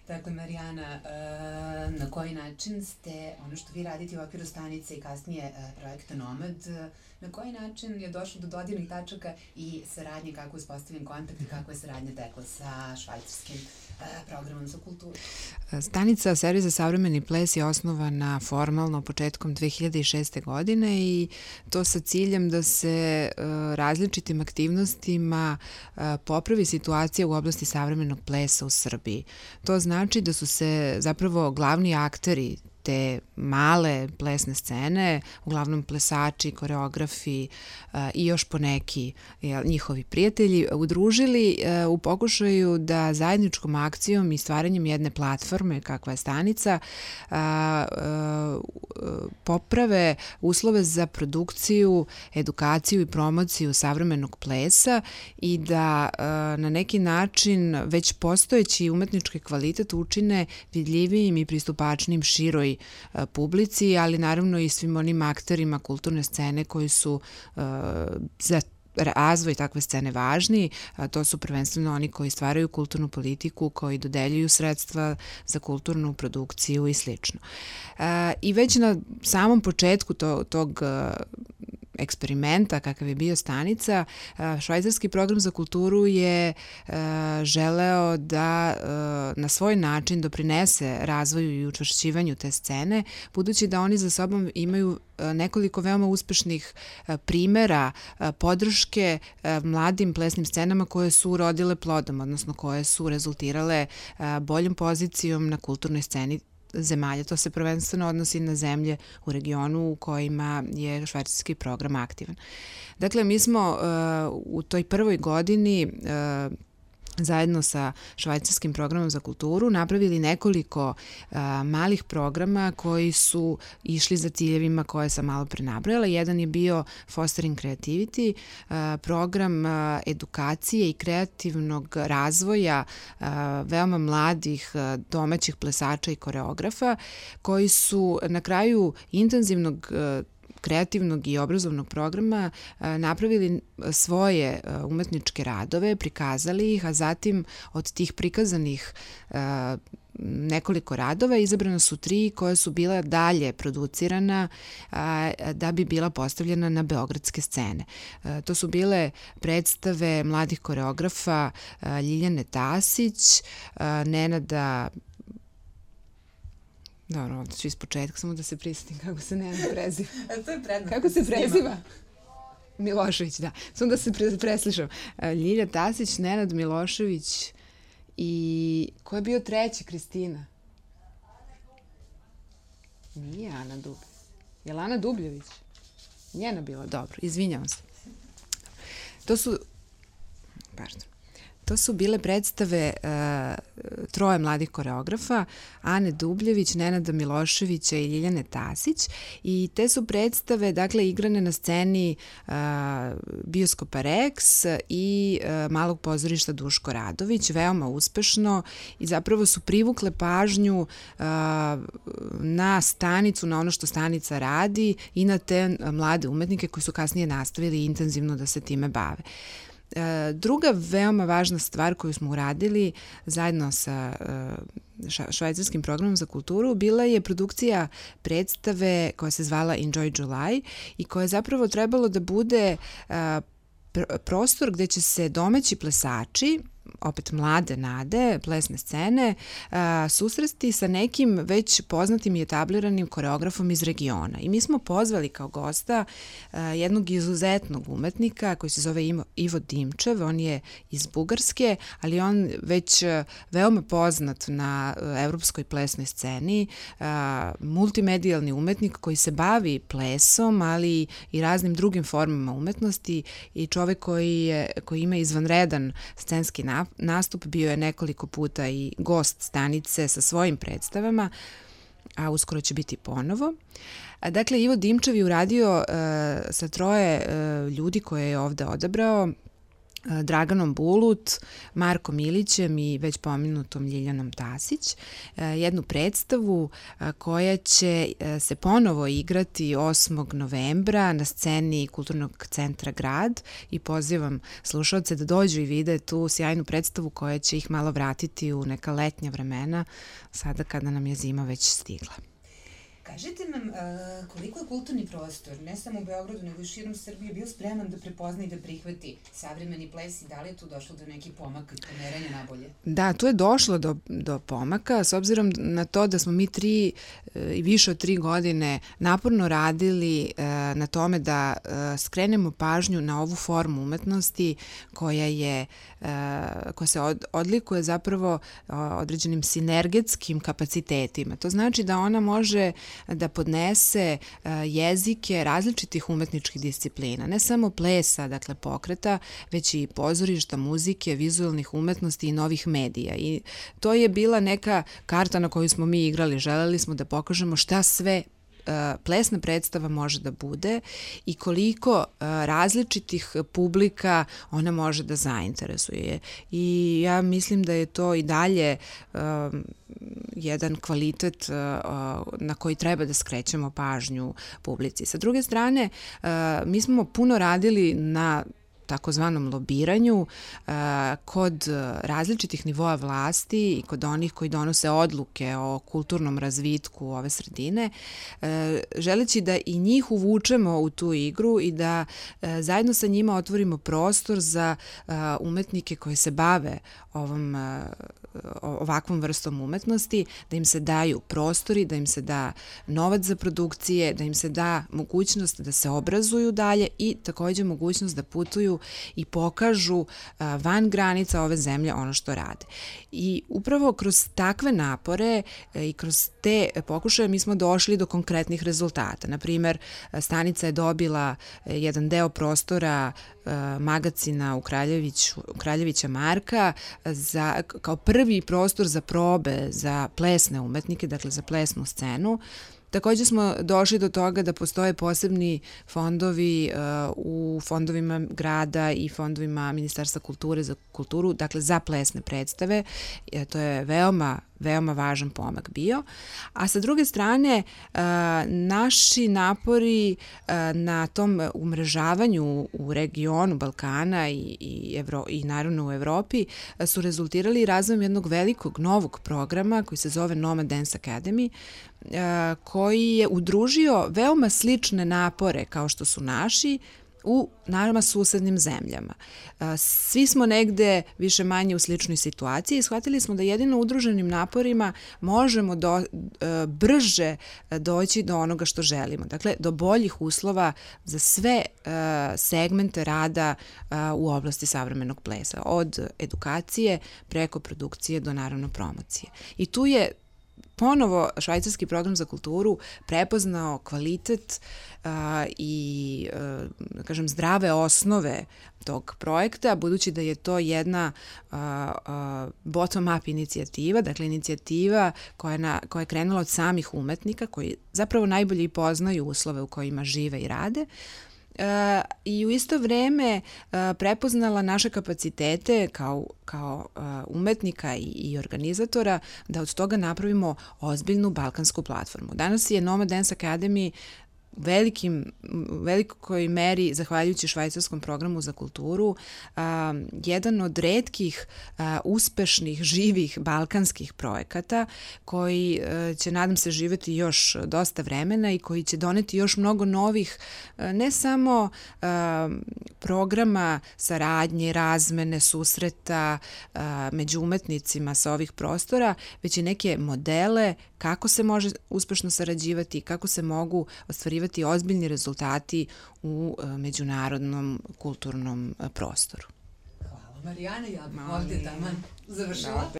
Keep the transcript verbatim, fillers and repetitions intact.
Dakle, Marijana, na koji način ste, ono što vi radite u okviru stanice i kasnije projekta Nomad, na koji način je došlo do dodirnih tačaka i saradnje, kako je uspostavljen kontakt i kako je saradnja tekla sa švajcarskim programom za kulturu? Stanica Servis za savremeni ples je osnovana formalno početkom dve hiljade šeste. godine i to sa ciljem da se različitim aktivnostima popravi situacija u oblasti savremenog plesa u Srbiji. To znači da su se zapravo glavni akteri te male plesne scene, uglavnom plesači, koreografi i još poneki njihovi prijatelji, udružili u pokušaju da zajedničkom akcijom i stvaranjem jedne platforme, kakva je stanica, poprave uslove za produkciju, edukaciju i promociju savremenog plesa i da na neki način već postojeći umetnički kvalitet učine vidljivijim i pristupačnim široj publici, ali naravno i svim onim akterima kulturne scene koji su uh, za razvoj takve scene važni, a to su prvenstveno oni koji stvaraju kulturnu politiku, koji dodeljuju sredstva za kulturnu produkciju i slično. Uh, I već na samom početku to, tog uh, eksperimenta kakav je bio stanica, švajcarski program za kulturu je želeo da na svoj način doprinese razvoju i učvršćivanju te scene, budući da oni za sobom imaju nekoliko veoma uspešnih primera podrške mladim plesnim scenama koje su urodile plodom, odnosno koje su rezultirale boljom pozicijom na kulturnoj sceni zemalja. To se prvenstveno odnosi na zemlje u regionu u kojima je švajcarski program aktivan. Dakle, mi smo uh, u toj prvoj godini uh, zajedno sa švajcarskim programom za kulturu napravili nekoliko uh, malih programa koji su išli za ciljevima koje sam malo pre nabrojala. Jedan je bio Fostering Creativity, uh, program uh, edukacije i kreativnog razvoja uh, veoma mladih uh, domaćih plesača i koreografa koji su na kraju intenzivnog uh, kreativnog i obrazovnog programa napravili svoje umetničke radove, prikazali ih, a zatim od tih prikazanih nekoliko radova izabrano su tri koje su bila dalje producirana da bi bila postavljena na beogradske scene. To su bile predstave mladih koreografa Ljiljane Tasić, Nenada Dobro, onda ću iz početka, samo da se prisetim kako se Nenad preziva. To je prednost. Kako se preziva? Milošević, da. Samo da se preslišam. Ljilja Tasić, Nenad Milošević i... Ko je bio treći, Kristina? Nije Ana Dubljević. Je li Ana Dubljević? Njena bila, dobro, izvinjavam se. To su... Pardon. To su bile predstave uh, troje mladih koreografa, Ane Dubljević, Nenada Miloševića i Ljiljane Tasić, i te su predstave, dakle, igrane na sceni uh, Bioskopa Rex i uh, Malog pozorišta Duško Radović, veoma uspešno, i zapravo su privukle pažnju uh, na stanicu, na ono što stanica radi i na te mlade umetnike koji su kasnije nastavili intenzivno da se time bave. Druga veoma važna stvar koju smo uradili zajedno sa švajcarskim programom za kulturu bila je produkcija predstave koja se zvala Enjoy July i koja je zapravo trebalo da bude prostor gde će se domaći plesači, opet mlade nade, plesne scene, susresti sa nekim već poznatim i etabliranim koreografom iz regiona. I mi smo pozvali kao gosta jednog izuzetnog umetnika koji se zove Ivo Dimčev, on je iz Bugarske, ali on već veoma poznat na evropskoj plesnoj sceni, multimedijalni umetnik koji se bavi plesom, ali i raznim drugim formama umetnosti, i čovek koji, je, koji ima izvanredan scenski nastup, bio je nekoliko puta i gost stanice sa svojim predstavama, a uskoro će biti ponovo. Dakle, Ivo Dimčev je uradio uh, sa troje uh, ljudi koje je ovde odabrao Draganom Bulut, Markom Ilićem i već pomenutom Ljiljanom Tasić, jednu predstavu koja će se ponovo igrati osmog novembra na sceni Kulturnog centra Grad i pozivam slušalce da dođu i vide tu sjajnu predstavu koja će ih malo vratiti u neka letnja vremena, sada kada nam je zima već stigla. Kažite nam uh, koliko je kulturni prostor, ne samo u Beogradu, nego i širom Srbije, bio spreman da prepozna i da prihvati savremeni ples i da li je tu došlo do nekih pomaka i pomeranja nabolje? Da, tu je došlo do, do pomaka, s obzirom na to da smo mi tri i više od tri godine naporno radili uh, na tome da uh, skrenemo pažnju na ovu formu umetnosti koja je uh, koja se od, odlikuje zapravo uh, određenim sinergetskim kapacitetima. To znači da ona može da podnese jezike različitih umetničkih disciplina, ne samo plesa, dakle pokreta, već i pozorišta, muzike, vizualnih umetnosti i novih medija. I to je bila neka karta na koju smo mi igrali. Želeli smo da pokažemo šta sve plesna predstava može da bude i koliko različitih publika ona može da zainteresuje. I ja mislim da je to i dalje um, jedan kvalitet uh, na koji treba da skrećemo pažnju publici. Sa druge strane, uh, mi smo puno radili na takozvanom lobiranju uh, kod različitih nivoa vlasti i kod onih koji donose odluke o kulturnom razvitku ove sredine, uh, želeći da i njih uvučemo u tu igru i da uh, zajedno sa njima otvorimo prostor za uh, umetnike koji se bave ovom uh, ovakvom vrstom umetnosti, da im se daju prostori, da im se da novac za produkcije, da im se da mogućnost da se obrazuju dalje i takođe mogućnost da putuju i pokažu van granica ove zemlje ono što rade. I upravo kroz takve napore i kroz te pokušaje mi smo došli do konkretnih rezultata. Naprimer, stanica je dobila jedan deo prostora magacina u Kraljeviću, Kraljevića Marka za, kao prvi prostor za probe za plesne umetnike, dakle za plesnu scenu. Takođe smo došli do toga da postoje posebni fondovi uh, u fondovima grada i fondovima Ministarstva kulture za kulturu, dakle za plesne predstave. E, to je veoma veoma važan pomak bio. A sa druge strane, uh, naši napori uh, na tom umrežavanju u regionu Balkana i, i, Evro, i naravno u Evropi uh, su rezultirali razvojem jednog velikog novog programa koji se zove Nomad Dance Academy, uh, koji je udružio veoma slične napore kao što su naši u naravno susednim zemljama. Svi smo negde više manje u sličnoj situaciji i shvatili smo da jedino udruženim naporima možemo do, brže doći do onoga što želimo. Dakle, do boljih uslova za sve segmente rada u oblasti savremenog plesa. Od edukacije preko produkcije do naravno promocije. I tu je ponovo švajcarski program za kulturu prepoznao kvalitet uh, i uh, kažem zdrave osnove tog projekta, budući da je to jedna uh, uh, bottom-up inicijativa, dakle inicijativa koja je, na, koja je krenula od samih umetnika, koji zapravo najbolje i poznaju uslove u kojima žive i rade, Uh, i u isto vreme uh, prepoznala naše kapacitete kao, kao uh, umetnika i, i organizatora da od toga napravimo ozbiljnu balkansku platformu. Danas je Nomad Dance Academy velikim, velikoj meri, zahvaljujući švajcarskom programu za kulturu, a, jedan od retkih a, uspešnih, živih balkanskih projekata koji a, će, nadam se, živeti još dosta vremena i koji će doneti još mnogo novih, a, ne samo a, programa saradnje, razmene, susreta a, među umetnicima sa ovih prostora, već i neke modele kako se može uspešno sarađivati, kako se mogu ostvarivati ozbiljni rezultati u međunarodnom kulturnom prostoru. Hvala Marijana, ja bih ovde taman završila.